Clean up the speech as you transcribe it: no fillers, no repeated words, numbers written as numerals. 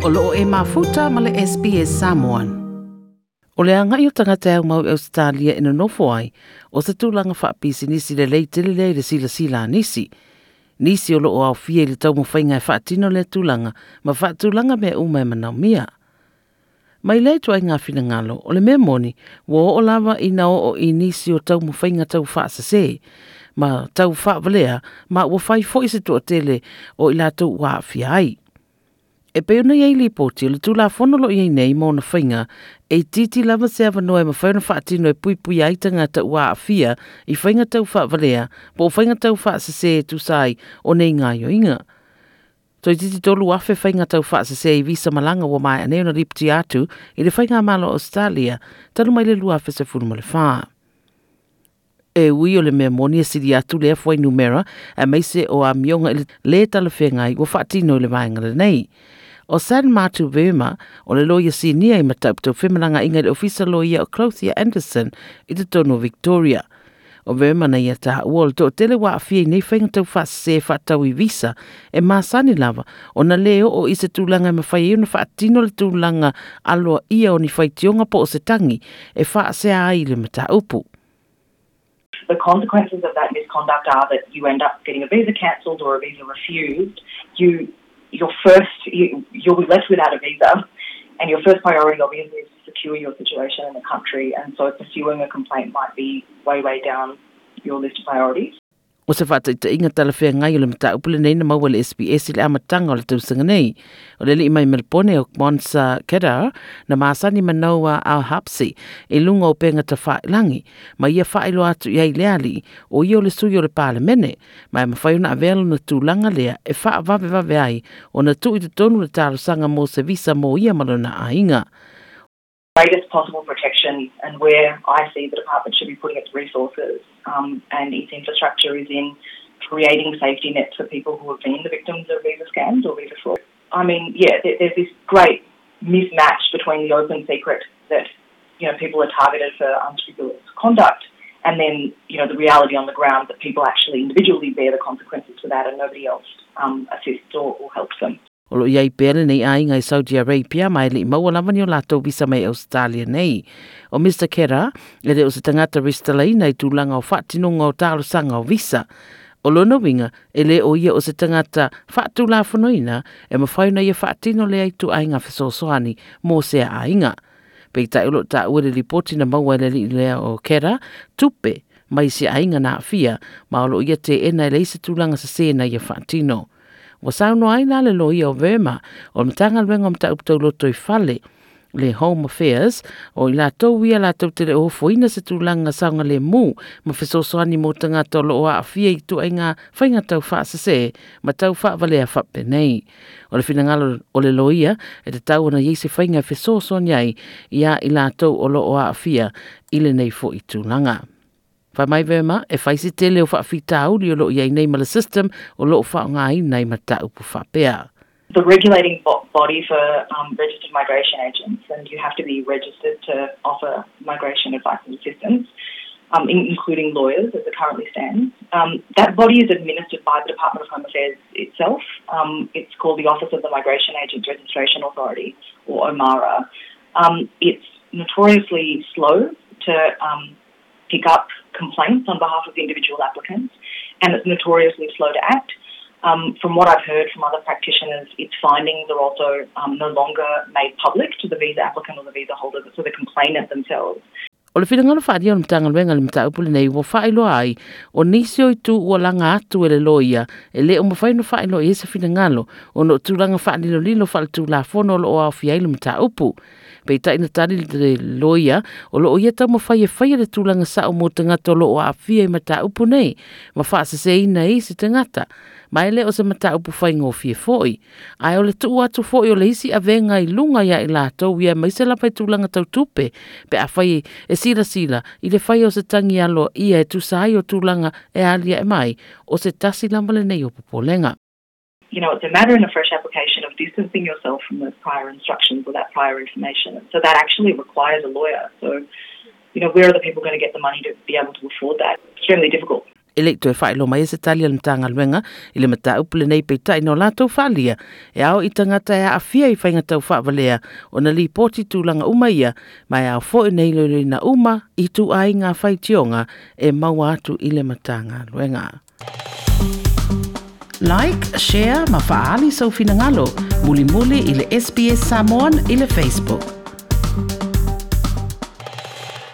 O loo e mafuta ma le SBS Samoan. O le agai o tagata e aumau i Ausetalia e nonofo ai, o se tulaga faapisinisi lelei tele lea i le silasila a nisi. Nisi o loo aofia i le taumafaiga e faatino lea tulaga ma faatulaga mea uma e manaomia. Mai lea ituaiga finagalo, o le mea moni, ua oo lava ina oo i nisi o taumafaiga tau faasese ma tau faavalea ma ua fai foi se toatele o i latou ua aafia ai. E pei ona i ai lipoti o le Tulafono o lo o i ai nei ma ona faiga, e itiiti lava se avanoa e mafai ona faatino e puipuia ai tagata ua aafia i faiga tau faavalea po o faiga tau faasese e tusa ai o nei gaoioiga. Toeitiiti 3,000 faiga tau faasese i visa malaga ua maea nei ona lipotia atu i le Faigamalo o Ausetalia talu mai le 2014. E ui o le mea moni e sili atu lea fuainumera aemaise o amioga i le lē talafeagai ua faatino i le vaega lenei. O San Matu Verma, o le loia sinia i mataupu tau femalagaaiga i le Ofisa Loia o Clothier Anderson i totonu o Victoria. O Verma na ia taua o le toatele ua aafia i nei faiga tau faasese faatatau i visa e masani lava ona lē oo i se tulaga e mafai ai ona faatino le tulaga aloaia o ni faitioga po o se tagi e faasea ai i le mataupu. The consequences of that misconduct are that you end up getting a visa cancelled or a visa refused. You your first you, you'll be left without a visa and your first priority obviously is to secure your situation in the country and so pursuing a complaint might be way way down your list of priorities. O se faataitaiga talafeagai o le mataupu lenei na maua e le SBS i le amataga o le tausaga nei. O le alii mai Melebone o Monsa Kedar na masani ma Noah Al-Habsi i luga o upega tafailagi, ma ia faailoa atu i ai le alii, o ia o le sui o le Palemene, ma e mafai ona avea lona tulaga lea e faavavevave ai ona tuu i totonu le talosaga mo se visa mo ia ma lona aiga. Greatest possible protection and where I see the department should be putting its resources and its infrastructure is in creating safety nets for people who have been the victims of visa scams or visa fraud. I mean, yeah, there's this great mismatch between the open secret that people are targeted for unscrupulous conduct and then the reality on the ground that people actually individually bear the consequences for that and nobody else assists or helps them. O lo o i ai pea lenei aiga i Saudi Arabia ma e le i maua lava ni o latou visa mai Ausetalia nei. O Mister Khera, e le o se tagata resitalaina i tulaga o faatinoga o talosaga o visa. O lona uiga, e le o ia o se tagata faatulafonoina e mafai ona ia faatino lea ituaiga fesoasoani mo sea aiga. Peitai o lo o taua i le lipoti na maua e le alii lea o Khera, tupe mai se aiga na aafia, ma o lo o ia teena e leai se tulaga sese na ia faatino. Ua saunoa ai la le loia o Verma, o le Matagaluega o Mataupu Tauloto i Fale, le Home Affairs, o i latou ia latou te le o ofoina se tulaga saogalemu ma fesoasoani mo tagata o lo o aafia i ituaiga faiga tau faasese ma tau faavalea faapenei. O le finagalo o le loia, e tatau ona i ai se faiga e fesoasoani ai iā i latou o lo o aafia i lenei foi tulaga. Fai mai Verma, e fai se tele o faafitauli o lo o i ai nei ma le system o lo o faaaogaina i mataupu faapea. The regulating body for registered migration agents and you have to be registered to offer migration advice and assistance, including lawyers as it currently stands. That body is administered by the Department of Home Affairs itself. It's called the Office of the Migration Agents Registration Authority, or OMARA. It's notoriously slow to pick up complaints on behalf of individual applicants, and it's notoriously slow to act. From what I've heard from other practitioners, its findings are also no longer made public to the visa applicant or the visa holder, so the complainant themselves. O le finagalo faaalia o le Matagaluega i le mataupu lenei ua faailoa ai, o nisi o itu ua laga atu e le loia e le o mafai ona faailoa i ai se finagalo ona o tulaga faalilolilo faaletulafono o lo o aofia ai le mataupu. Peitai na tali le loia o lo o ia taumafai e faia le tulaga sao mo tagata o lo o aafia i mataupu nei ma faaseseina ai se tagata. Ma e le o se mataupu faigofie foi. Ae o le tuu atu foi o le isi avega i luga ia i latou ia aemaise lava i tulaga tau tupe pe afai e silasila i le faia o se tagi aloaia e tusa ai o tulaga e aliae mai, o se tasi lava lenei o popolega. It's a matter in a fresh application of distancing yourself from those prior instructions or that prior information. And so that actually requires a lawyer. So, where are the people going to get the money to be able to afford that? Extremely difficult. E le i toe faailoa mai se tali a le Matagaluega i le mataupu lenei peitai na o latou faaalia e ao i tagata e aafia i faiga tau faavalea ona lipoti tulaga uma ia ma e ao foi ona iloiloina uma ituaiga faitioga e maua atu i le Matagaluega. Like, share ma faaali sou finagalo mulimuli i le SBS Samoan i le Facebook.